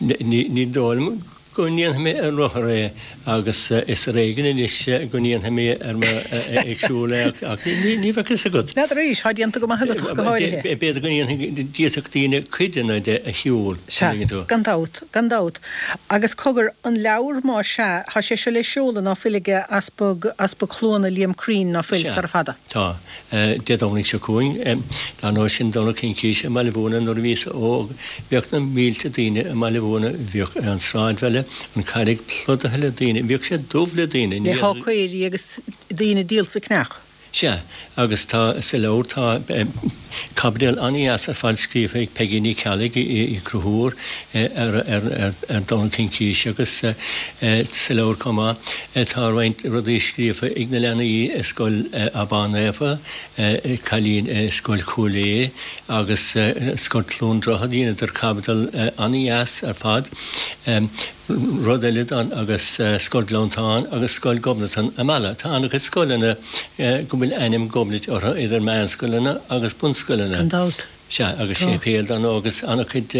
ní ní dóigh liom go ndéanfaidh mé ar rothar é agus is ar éigean anois go ndéanfaidh mé ar mo ag siúl é ach ní bheadh fhios agat. N'fheadar arís, thá déanta go maith agat ach go háirithe. B'fhéidir go ndéanfaidh, d'fhéadfadh daoine cuid de a shiúl, Sea, gan dabht, gan dabht. Agus cogar, an leabhar más ea, thá sé seo le seoladh ná fuil ag Easpag, Easpag Chluana Liam Crean ná fuil, Sea, sara fada. tá. Dé Domhnaigh seo chugainn. Dar ndóigh sin Domhnach Cincíse i mBaile Mhúirne nuair a bhíos óg bhíodh na mílte daoine i mBaile Mhúirne, bhíodh an sráidbhaile, an Charraig plódaithe le daoine, bhíodh sé dubh le daoine, ní Le hawkairí agus daoine ag díol sa cneach. Sea, agus tá sa leabhar tá caibidil an-dheas ar fad scríofa ag Peigí Ní Cheallaigh Uí Chonchúir ar ar Domhnach Cincíse agus sa leabhar chomh maith tá roinnt rudaí scríofa ag na leanaí i Scoil Abán Naofa, cailín i Scoil Chúil Aodha agus Scoil Chluain Droichead, dheineadar caibidil an-dheas ar fad. Rud eile don agus Scoil Gleanntáin agus Scoil Ghobnatan i Mala. Tá an-chuid scoileanna go bhfuil ainm Gobnait orthu idir meánscoileanna agus bunscoileanna. Gan dabht. Sea, agus Tá. séipéal dar ndóigh agus an-chuid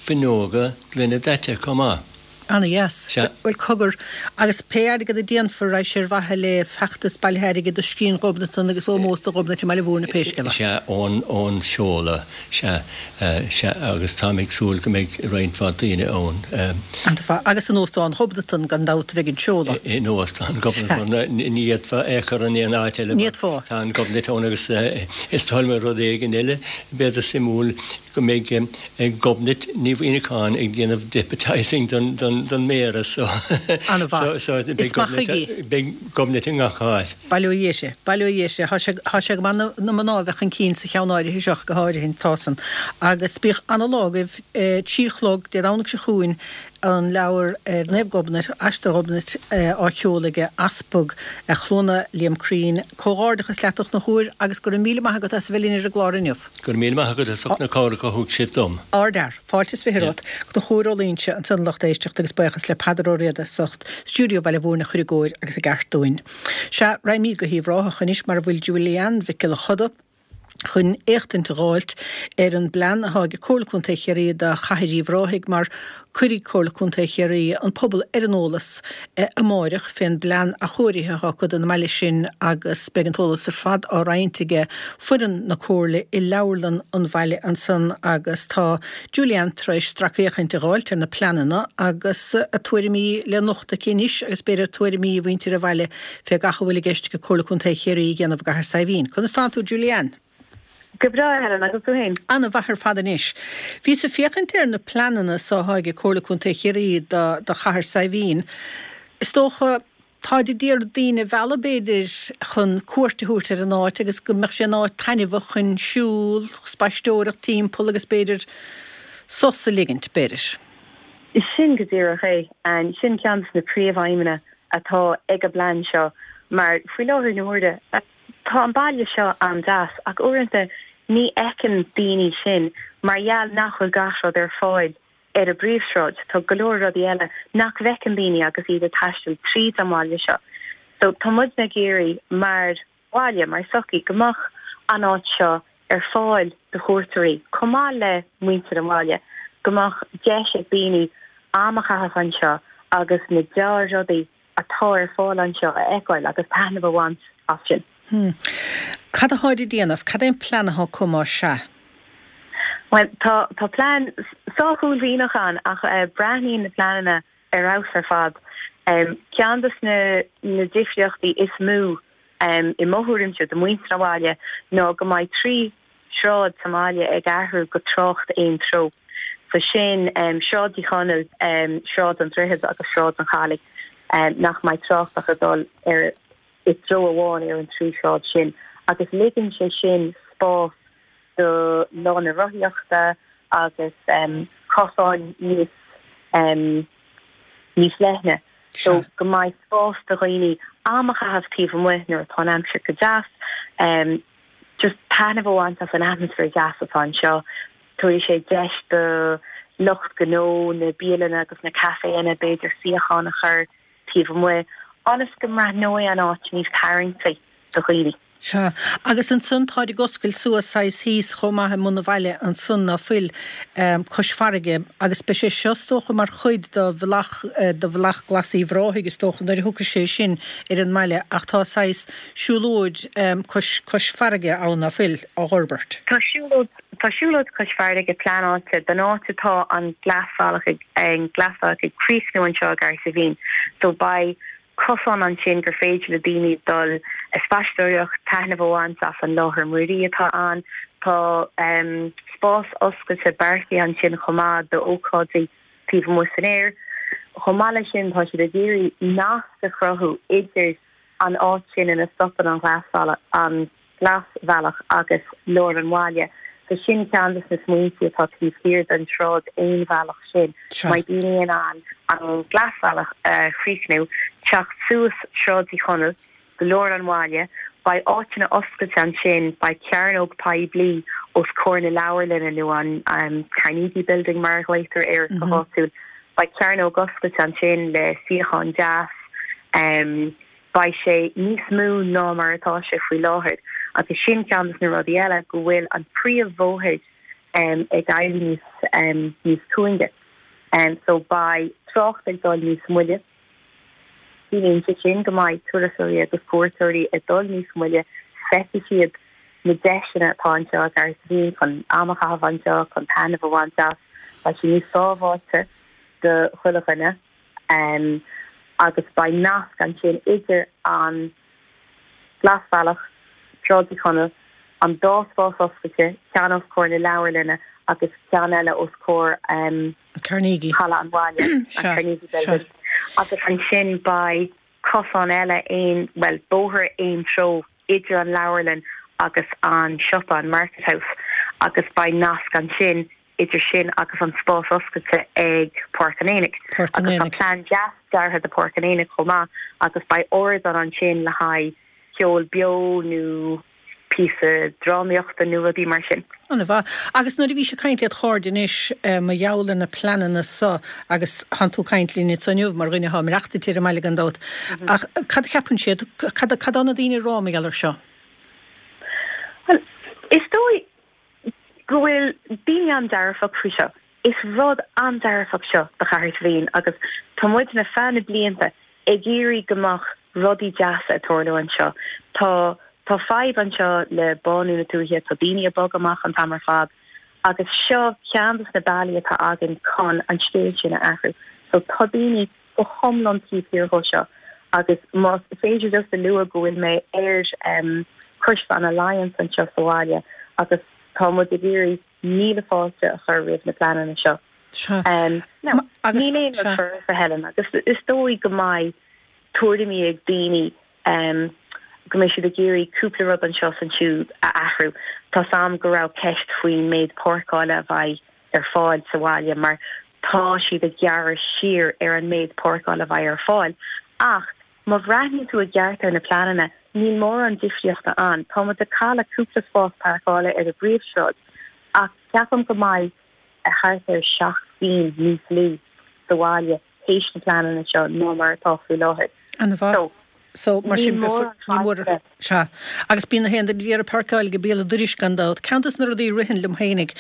fuinneoga gloine daite chomh maith. Ana-dheas. Sea. Bhuel, cogar, agus pé airgead a déanfar, raghaidh sé ar mhaithe le feachtas bailithe airgid do Scrín Ghobnatan agus ómós do Ghobnait i mBaile Mhúirne pé scéal é. Sea, ón, ón seoladh. Sea, sea, agus táim ag súil go mbeidh roinnt mhaith daoine ann. An-mhaith. Agus in Óstán Ghobnatan, gan dabht, a bheidh an seoladh. In Óstán Ghobnatan, ní fhéadfá é a chur in aon áit eile Ní mar fhéadfá. tá an Ghobnait ann agus is dóigh liom rud éigin eile, b'fhéidir suimiúil, go mbeidh Gobnait Ní Mhuimhneacháin ag déanamh deputising don don Méara so An-mhaith. so beidh Is maith Gobnait chuige. beidh Gobnait i ngach áit. Bail ó Dhia uirthi. Bail ó Dhia uirthi. Tá sé tá sé go maith na na mná a bheith chun cinn sa cheann áirithe seo go háirithe tá san. Agus bíodh ana-lá agaibh trí a chlog Dé Domhnaigh seo chugainn an leabhar ar Naomh Gobnait, Aistear Ghobnait, á sheoladh ag Easpag Chluana Liam Crean. Comhghairdeachas leat a Chonchúir agus go raibh míle maith agat as a bheith linn ar an gclár inniu. Go raibh míle maith agat as ucht na cabhrach a thug sibh dom. Ardfhear. Fáilte is fiche romhat. Conchúr Ó Loingsigh ansan lucht éisteachta agus buíochas le Peadar Ó Riada as ucht stiúideo Bhaile Mhúirne a chur i gcóir agus i gceart dúinn. Sea, raghaimid go hUíbh Ráthach anois mar a bhfuil Julie-Ann Mhic Giolla Choda, chun éachtaint a dh'fháilt ar an bplean athá ag Comhairle Contae Chiarraí do Chathair Uíbh Ráthaigh mar cuirfidh Comhairle Contae Chiarraí an pobal ar an eolas amáireach fén bplean athchóirithe athá acu don mbaile sin agus beidh an t-eolas ar fad á roinnt aige foireann na Comhairle i leabharlann an bhaile ansan agus tá Julie-Ann tar éis stracfhéachaint a dh'fháilt ar na pleananna agus a tuairimí le nochtadh aici anois agus b'fhéidir tuairimí mhuintir an bhaile fé gach a bhfuil i gceist ag Comhairle Contae Chiarraí a dhéanamh i gCathair Saidhbhín. Conas tánn tú Julie-Ann? Go breá, Helen, agus tú féin? Ana-mhaith ar fad anois. Bhíos ag féachaint ar na pleananna so athá ag Comhairle Contae Chiarraí do do Chathair Saidhbhín. Is dócha, táid ag iarraidh daoine a mhealladh b'fhéidir chun cuairt a thabhairt ar an áit agus go mbeadh sé ina áit taitneamhach chun siúl, spaisteoireacht timpeall agus b'fhéidir sos a ligint, b'fhéidir. Sin go díreach é. Sin ceann de na príomhaidhmeanna atá ag an bplean seo mar faoi láthair na huaire, Tá an baile seo an-deas ach uaireanta ní fheiceann daoine sin mar gheall nach bhfuil gach rud ar fáil ar an bpríomhshráid. Tá go leor rudaí eile nach bhfeiceann daoine agus iad ag taisteal tríd an bhaile seo. So tá muidne ag iarraidh mar bhaile, mar sochaí, go mbeadh an áit seo ar fáil do chuairteoirí chomh maith le muintir an bhaile, go mbeadh deis ag daoine am a chaitheamh anseo agus na dea-rudaí atá ar fáil anseo a fheiceáil agus taitneamh a bhaint as sin. Hmm. Cad atáid ag déanamh? Cad é an plean atá acu más sea? Bhuel, tá tá plean sách uaillmhianach ann ach breathnaíonn na pleananna ar fheabhas ar fad. Ceann de na na difríochtaí is mó i mo thuairimse do mhuintir an bhaile ná go mbeidh trí shráid sa mbaile ag athrú go trácht aon treo. So sin Sráid Uí Chonaill, Sráid an Droichid agus Sráid an Chalaidh nach mbeidh trácht ach ag dul ar i dtreo amháin ar an trí shráid sin agus ligeann sé sin spás do lána rothaíochta agus cosáin níos níos leithne so go mbeidh spás do dhaoine am a chaitheamh taobh amuigh nuair atá an aimsir go deas, just taitneamh a bhaint as an atmaisféar deas atá anseo. Tabharfaidh sé deis do lucht gnó na bialanna agus na caiféanna b'fhéidir suíocháin a chur taobh amuigh ionas go mbreathnóidh an áit níos tarraingtí do dhaoine. Sea. Agus ansan táid ag oscailt suas saghas thíos chomh maith i mbun an bhaile ansan ná fuil, cois farraige agus beidh sé seo is dócha mar chuid de bhealach, de bhealach glas Uíbh Ráthaigh is dócha nuair a thiocfaidh sé sin ar an mbaile ach tá saghas siúlóid cois, cois farraige ann ná fuil, á fhorbairt. Tá siúlóid, tá siúlóid cois farraige pleanáilte don áit atá an glasbhealach ag, an glasbhealach ag críochnú anseo i gCahersiveen so beidh cosán ansin gur féidir le daoine dul ag spaisteoireacht, taitneamh a bhaint as an láthair mhuirí atá ann. Tá spás oscailte beartaithe ansin chomh maith d'ócáidí taobh amuigh san aer. Chomh maith leis sin, tá siad ag iarraidh nasc a chruthú idir an áit sin ina stopann an glasbhealach, an glasbhealach agus lár an bhaile. So sin ceann de na smaointe atá taobh thiar den tsráid aonbhealach sin. Mbeidh daoine in ann an glasbhealach a chríochnú, teacht suas Sráid Uí Chonaill go lár an bhaile, beidh áiteanna oscailte ansin, beidh cearnóg poiblí os comhair na leabharlainne nó an Carnegie Building mar a ghlaotar air go háitiúil, beidh cearnóg oscailte ansin le suíochán deas. Beidh sé níos mó ná mar atá sé faoi láthair agus sin ceann de na rudaí eile go bhfuil an príomhbhóthar ag éirí níos níos cúinge. So beidh trácht ag dul níos moille. Ciallaíonn sé sin go mbeidh turasóirí agus cuairteoirí ag dul níos moille, feicfidh siad na deiseanna atá anseo i gCahersiveen chun am a chaitheamh anseo, chun taitneamh a bhaint as. Beidh sé níos sábháilte do chuile dhuine. Agus beidh nasc ansin idir an Glasbhealach, Sráid Uí Chonaill, an dá spás oscailte, ceann os comhair na leabharlainne agus ceann eile os comhair Carnegie. Halla an Bhaile, an Carnegie Building. Agus ansin beidh cosán eile aon, bhuel, bóthar aon treo idir an leabharlann agus an siopa, an Market House, agus beidh nasc ansin idir sin agus an spás oscailte ag Páirc an Aonaigh. Páirc an Agus tá Aonaigh. plean deas deartha do Páirc an Aonaigh chomh maith agus beidh ardán ansin le haghaidh ceol beo nó píosa drámaíochta nó rudaí mar sin. Ana mhaith. Agus nuair a bhís ag caint led chairde anois mar gheall ar na pleananna so agus thánn tú ag caint linn anso inniu mar dhuine atá ag maireachtaint ar an mbaile gan dabht, ach cad a cheapann siad, cad cad tá na daoine ag rá mar gheall ar seo? Bhuel, is dóigh go bhfuil daoine an-dearfach faoi seo. Is rud an-dearfach seo do Chahersiveen agus tá muidne feadh na blianta ag iarraidh go mbeadh rudaí deasa ag tarlú anseo. Tá tá fadhb anseo le bánú na tuaithe, tá daoine ag bogadh amach an t-am ar fad agus seo ceann de na bealaí atá againn chun an scéal sin a athrú. So tá daoine go hiomlán taobh thiar dhó seo agus más féidir just a lua go bhfuil mé ar um, Coiste an Alliance anseo sa bhaile agus tá muid ag iarraidh míle fáilte a chur roimh na pleananna seo. Sea. Um, no, Agus níl aon rud sea. foirfe Helen agus is dóigh go mbeidh tuairimí ag daoine um, go mbeidh siad ag iarraidh cúpla rud anseo is ansiúd a athrú. Tá sam go raibh ceist faoin méid páirceála a bheidh ar fáil sa bhaile mar tá siad ag gearradh siar ar an méid páirceála a bheidh ar fáil. Ach má bhreathnaíonn tú i gceart ar na pleananna, níl mórán difríochta ann. Tá muid ag cailleadh cúpla spás páirceála ar an bpríomhshráid ach ceapaim go mbeidh thart ar seacht gcinn níos lú sa bhaile théis na pleananna seo ná mar atá faoi láthair. Ana mhaith. So, So mar níl sin mórán ní mór fáilte. Sea. Agus bíonn na haon duine ag iarraidh páirceáil ag béal an dorais gan dabht. Ceann des na rudaí a ritheann liom fhéinig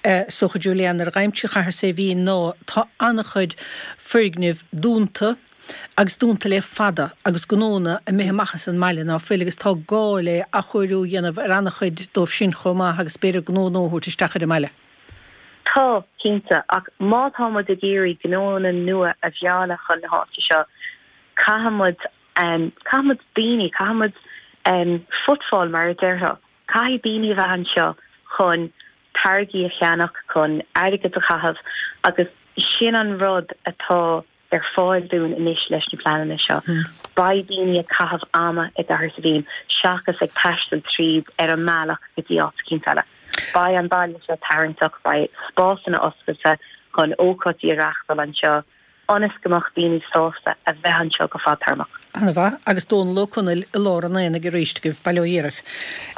is dócha Julianne nuair a ghabhaimse Cahersiveen ná tá an-chuid foirgnimh dúnta agus dúnta le fada agus gnónna imithe amach as an mbaile ná fuil agus tá gá le athchóiriú a dhéanamh ar an-chuid dóibh sin chomh maith agus b'fhéidir gnó nua a thabhairt isteach ar an mbaile. Tá, cinnte, ach má tá muid ag iarraidh gnónna nua a mhealladh chun na háite seo, caithfidh muid, caithfidh muid daoine, caithfidh muid footfall mar a déarfá, caithfidh daoine a bheith anseo chun táirgí a cheannach, chun airgead a chaitheamh agus sin an rud atá ar fáil dúinn anois leis na pleananna seo. Beidh daoine ag caitheamh ama i gCathair Saidhbhín seachas ag taisteal tríd ar an mbealach go dtí áit eicínt eile. Beidh an baile seo tarraingteach, beidh spásanna oscailte chun ócáidí a reáchtáil anseo ionas go mbeadh daoine sásta a bheith anseo go fadtéarmach. Ana-mhaith, agus Dónal Ó Conaill i lár an aonaigh arís agaibh, bail ó Dhia oraibh.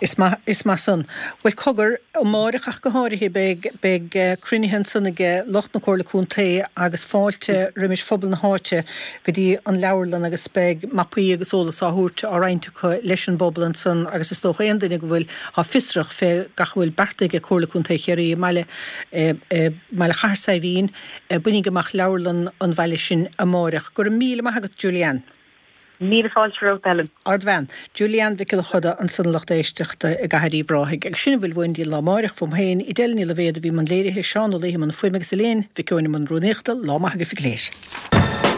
Is maith, is maith san. Bhuel, cogar, amáireach ach go háirithe, beidh, beidh cruinnithe ansan ag lucht na Comhairle Contae agus fáilte roimis phobal na háite go dtí an leabharlann agus beidh mapaí agus eolas á thabhairt, á roinnt acu leis an bpobal ansan agus is dócha aon duine go bhfuil, thá fiosrach fé gach a bhfuil beartaithe ag Comhairle Contae Chiarraí i mbaile, i mbaile Chathair Saidhbhín, Bainígí amach leabharlann an bhaile sin amáireach. Go raibh míle maith agat, Julie-Anne. Míle fáilte romhat, Ellen. Ardbhean. Julie-Anne Mhic Giolla Chuda ansan a lucht éisteachta i gCathair Uíbh Ráthaigh. Agus sin a bhfuil uainn don lá amáireach. Fúm féin, Edel Ní Loibhéad a bhí i mbun léirithe, Seán Ó Laoithe i mbun fuaime agus Elaine Mhic Eoin i mbun rúnaíochta. Lá maith agaibh go léir.